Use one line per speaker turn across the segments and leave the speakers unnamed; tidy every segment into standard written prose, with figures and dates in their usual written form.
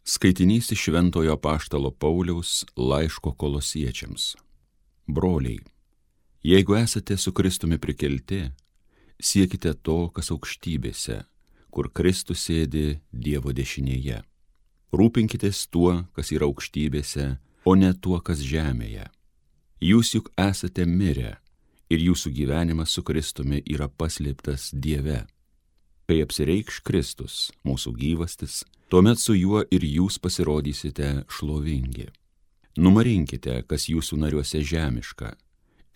Skaitinys iš Šventojo Apaštalo Pauliaus laiško Kolosiečiams. Broliai, jeigu esate su Kristumi prikelti, siekite to, kas aukštybėse, kur Kristus sėdi Dievo dešinėje. Rūpinkitės tuo, kas yra aukštybėse, o ne tuo, kas žemėje. Jūs juk esate mirę ir jūsų gyvenimas su Kristumi yra paslėptas Dieve. Kai apsireikš Kristus, mūsų gyvastis, tuomet su juo ir jūs pasirodysite šlovingi. Numarinkite, kas jūsų nariuose žemiška,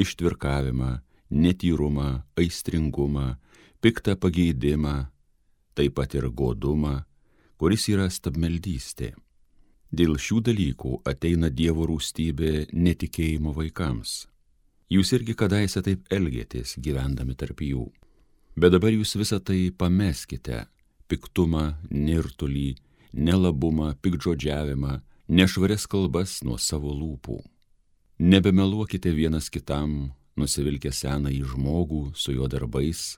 ištvirkavimą, netyrumą, aistringumą, piktą pageidimą, taip pat ir godumą, kuris yra stabmeldystė. Dėl šių dalykų ateina Dievo rūstybė netikėjimo vaikams. Jūs irgi kadaise taip elgėtės, gyvendami tarp jų. Bet dabar jūs visą tai pameskite: piktumą, nirtulį, nelabumą, piktžodžiavimą, nešvarias kalbas nuo savo lūpų. Nebemeluokite vienas kitam, nusivilkę senąjį žmogų su jo darbais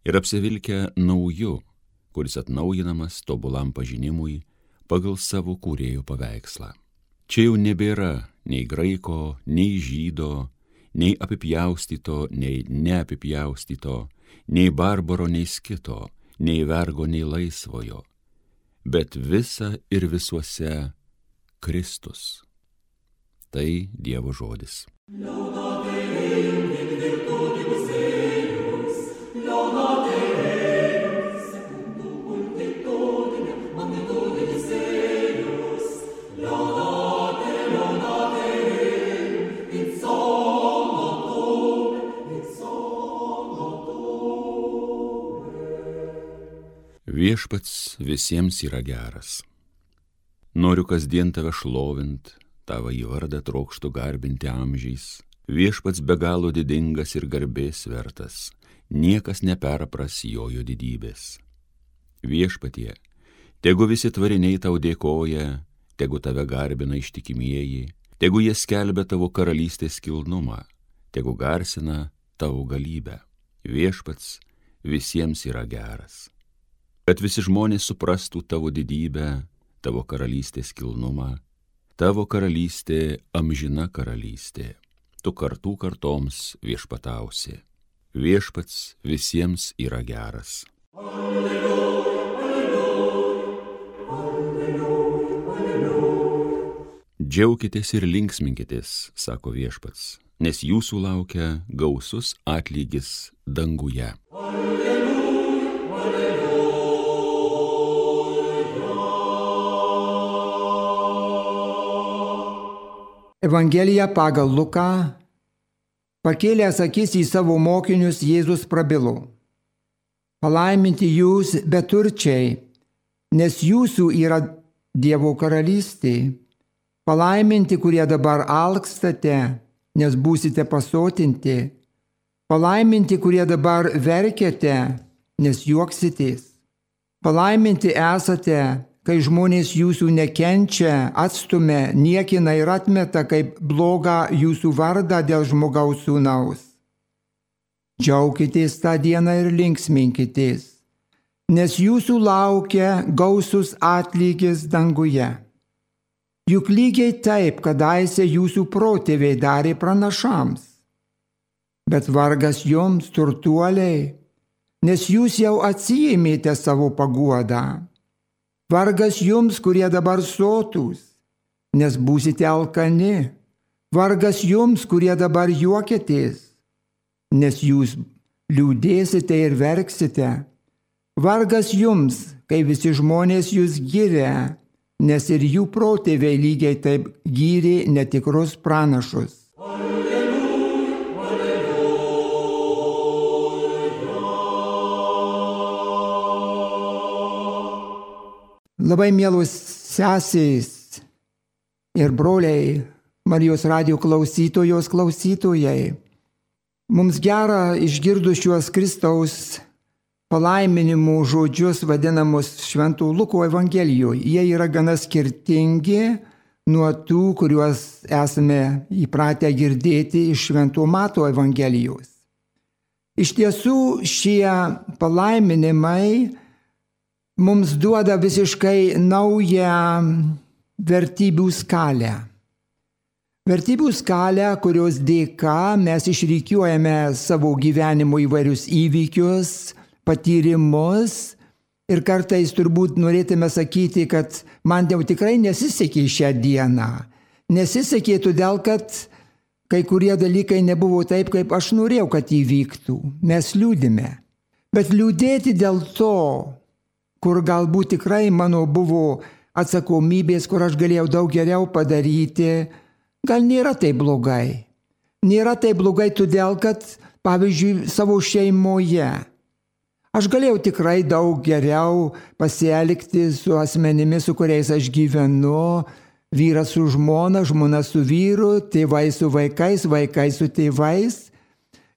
ir apsivilkę nauju, kuris atnaujinamas tobulam pažinimui pagal savo kūrėjo paveikslą. Čia jau nebėra nei graiko, nei žydo, nei apipjaustyto, nei neapipjaustyto, nei barbaro, nei skito, nei vergo, nei laisvojo, bet visa ir visuose Kristus. Tai Dievo žodis. Viešpats visiems yra geras. Noriu kasdien tave šlovint, tavo į vardą trokštu garbinti amžiais. Viešpats be galo didingas ir garbės vertas, niekas neperpras jo didybės. Viešpatie, tegu visi tvariniai tau dėkoja, tegu tave garbina ištikimieji, tegu jie skelbia tavo karalystės kilnumą, tegu garsina tavo galybę. Viešpats visiems yra geras. Kad visi žmonės suprastų tavo didybę, tavo karalystės kilnumą, tavo karalystė amžina karalystė, tu kartų kartoms viešpatausi. Viešpats visiems yra geras.
Alleluja, alleluja, alleluja, alleluja.
Džiaukitės ir linksminkitės, sako Viešpats, nes jūsų laukia gausus atlygis danguje.
Evangelija pagal Luką. Pakėlęs akis į savo mokinius, Jėzus prabilo: Palaiminti jūs beturčiai, nes jūsų yra Dievo karalystė. Palaiminti, kurie dabar alkstate, nes būsite pasotinti. Palaiminti, kurie dabar verkiate, nes juoksitės. Palaiminti esate, kai žmonės jūsų nekenčia, atstumia, niekina ir atmeta kaip blogą jūsų vardą dėl žmogaus sūnaus. Džiaukitės tą dieną ir linksminkitės, nes jūsų laukia gausus atlygis danguje. Juk lygiai taip kadaise jūsų protėviai darė pranašams. Bet vargas jums, turtuoliai, nes jūs jau atsiėmėte savo paguodą. Vargas jums, kurie dabar sotūs, nes būsite alkani. Vargas jums, kurie dabar juokitės, nes jūs liūdėsite ir verksite. Vargas jums, kai visi žmonės jūs giria, nes ir jų protėviai lygiai taip gyrė netikrus pranašus. Labai mielos sesės ir broliai, Marijos radijo klausytojai. Mums gera išgirdus šiuos Kristaus palaiminimų žodžius vadinamus Švento Luko Evangelijoje. Jie yra gana skirtingi nuo tų, kuriuos esame įpratę girdėti iš Švento Mato Evangelijos. Iš tiesų šie palaiminimai mums duoda visiškai naują vertybių skalę. Vertybių skalę, kurios dėka mes išrikiuojame savo gyvenimo įvairius įvykius, patyrimus ir kartais turbūt norėtume sakyti, kad man jau tikrai nesisekė šią dieną. Nesisekė todėl, kad kai kurie dalykai nebuvo taip, kaip aš norėjau, kad įvyktų. Mes liūdime. Bet liūdėti dėl to, kur galbūt tikrai mano buvo atsakomybės, kur aš galėjau daug geriau padaryti, gal nėra taip blogai. Nėra taip blogai todėl, kad, pavyzdžiui, savo šeimoje aš galėjau tikrai daug geriau pasielgti su asmenimis, su kuriais aš gyvenu, vyras su žmona, žmona su vyru, tėvai su vaikais, vaikai su tėvais.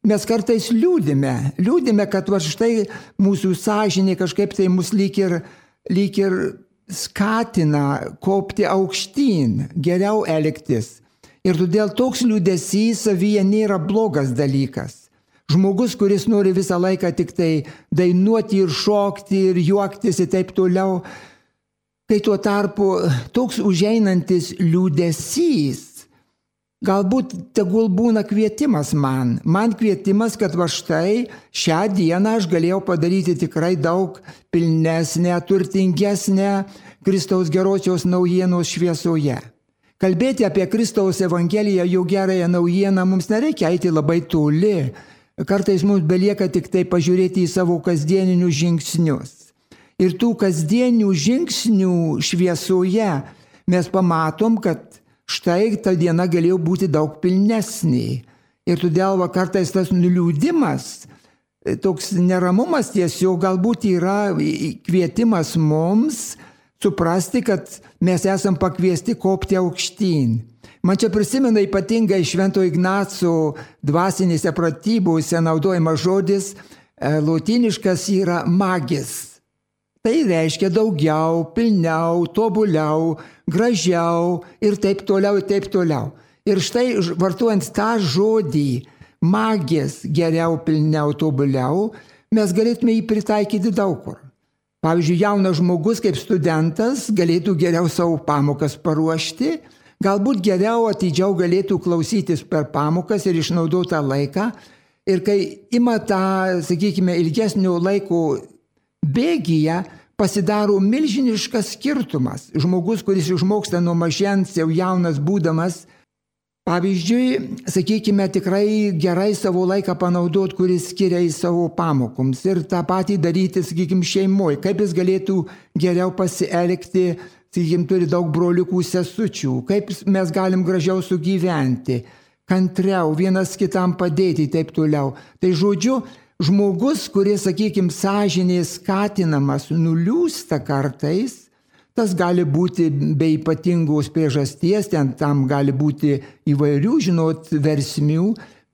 Mes kartais liūdime, kad va štai mūsų sąžinė kažkaip tai mus lyg ir skatina kopti aukštyn, geriau elgtis. Ir todėl toks liūdesys savyje nėra blogas dalykas. Žmogus, kuris nori visą laiką tik tai dainuoti ir šokti ir juoktis ir taip toliau, kai tuo tarpu toks užeinantis liūdesys, galbūt tegul būna kvietimas man kvietimas, kad va štai šią dieną aš galėjau padaryti tikrai daug pilnesnę, turtingesnę Kristaus gerosios naujienos šviesoje. Kalbėti apie Kristaus Evangeliją, jo gerąją naujieną, mums nereikia eiti labai toli. Kartais mums belieka tik tai pažiūrėti į savo kasdieninius žingsnius. Ir tų kasdienių žingsnių šviesoje mes pamatom, kad štai ta diena galėjo būti daug pilnesnė. Ir todėl kartais tas nuliūdimas, toks neramumas tiesiog galbūt yra kvietimas mums suprasti, kad mes esam pakviesti kopti aukštyn. Man čia prisimena ypatingai Švento Ignaco dvasinėse pratybose naudojamas žodis, lotyniškas yra magis. Tai reiškia daugiau, pilniau, tobuliau, gražiau ir taip toliau, ir taip toliau. Ir štai vartojant tą žodį magis, geriau, pilniau, tobuliau, mes galėtume jį pritaikyti daug kur. Pavyzdžiui, jaunas žmogus kaip studentas galėtų geriau savo pamokas paruošti, galbūt geriau atidžiau galėtų klausytis per pamokas ir išnaudotą laiką. Ir kai ima tą, sakykime, ilgesnio laiko bėgyje, pasidaro milžiniškas skirtumas. Žmogus, kuris išmoksta nuo mažens, jau jaunas būdamas, pavyzdžiui, sakykime, tikrai gerai savo laiką panaudot, kuris skiria į savo pamokoms. Ir tą patį daryti, sakykime, šeimoje. Kaip jis galėtų geriau pasielgti, sakykime, turi daug broliukų, sesučių. Kaip mes galim gražiau sugyventi, kantriau, vienas kitam padėti, taip toliau. Tai žodžiu, žmogus, kuris, sakykime, sąžinės skatinamas, nuliūsta kartais, tas gali būti be ypatingos priežasties, tam gali būti įvairių, versmių,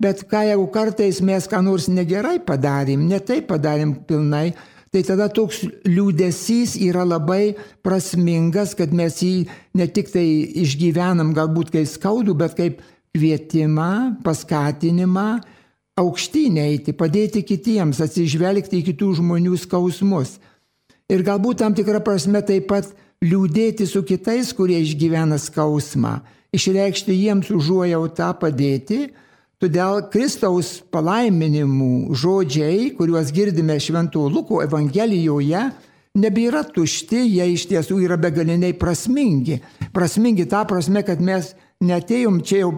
bet jeigu kartais mes ką nors negerai padarėm, ne taip padarėm pilnai, tai tada toks liūdesys yra labai prasmingas, kad mes jį ne tik tai išgyvenam galbūt kaip skaudų, bet kaip kvietimą, paskatinimą, aukštyn eiti, padėti kitiems, atsižvelgti į kitų žmonių skausmus. Ir galbūt tam tikrą prasme taip pat liūdėti su kitais, kurie išgyvena skausmą, išreikšti jiems užuojautą, padėti. Todėl Kristaus palaiminimų žodžiai, kuriuos girdime Švento Luko Evangelijoje, nebėra tušti, jie iš tiesų yra begaliniai prasmingi. Prasmingi tą prasme, kad mes netėjom čia jau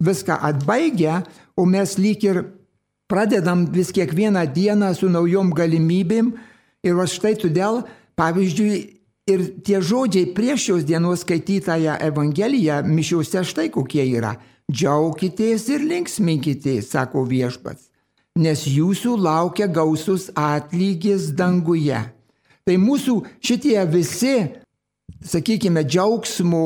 viską atbaigę, o mes lyg ir pradedam vis kiekvieną dieną su naujom galimybėm. Ir štai todėl, pavyzdžiui, ir tie žodžiai prieš šios dienos skaitytąją Evangeliją mišiuose štai kokie yra. Džiaukitės ir linksminkitės, sako Viešpats, nes jūsų laukia gausus atlygis danguje. Tai mūsų šitie visi, sakykime, džiaugsmo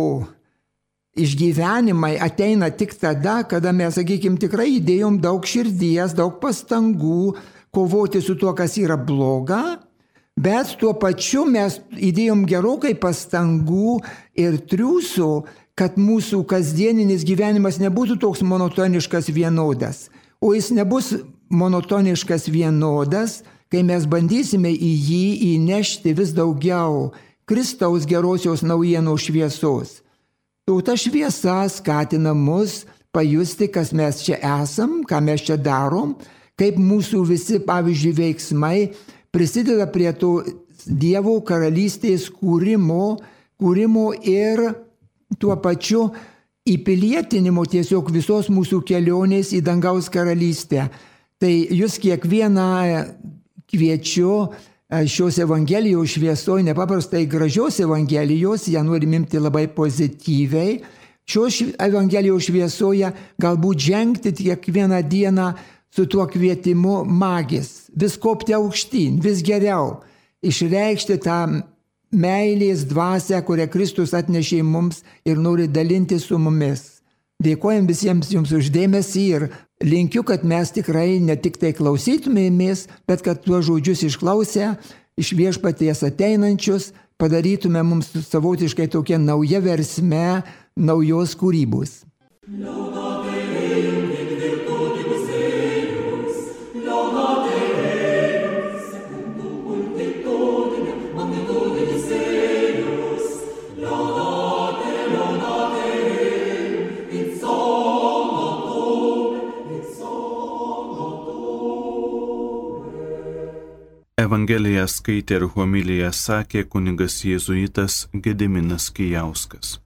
išgyvenimai ateina tik tada, kada mes, sakykime, tikrai įdėjom daug širdies, daug pastangų kovoti su tuo, kas yra bloga, bet tuo pačiu mes įdėjom gerokai pastangų ir triūsų, kad mūsų kasdieninis gyvenimas nebūtų toks monotoniškas vienodas. O jis nebus monotoniškas vienodas, kai mes bandysime į jį įnešti vis daugiau Kristaus gerosios naujienos šviesos. Ta šviesa skatina mus pajusti, kas mes čia esam, ką mes čia darom, kaip mūsų visi, pavyzdžiui, veiksmai prisideda prie to Dievo karalystės kūrimo ir tuo pačiu įpilietinimo tiesiog visos mūsų kelionės į dangaus karalystę. Tai jūs kiekvieną kviečiu šios Evangelijos šviesoje, nepaprastai gražios Evangelijos, ją norim imti labai pozityviai, šios Evangelijos šviesoje galbūt žengti kiekvieną dieną su tuo kvietimu magis, vis kopti aukštyn, vis geriau, išreikšti tą meilės dvasią, kurią Kristus atnešė mums ir nori dalinti su mumis. Dėkojam visiems jums už dėmesį ir linkiu, kad mes tikrai ne tik tai klausytumėmės, bet kad tuos žodžius išklausę, iš Viešpaties ateinančius, padarytume mums savotiškai tokia nauja versme, naujos kūrybos.
Evangeliją skaitė ir homiliją sakė kunigas jėzuitas Gediminas Kijauskas.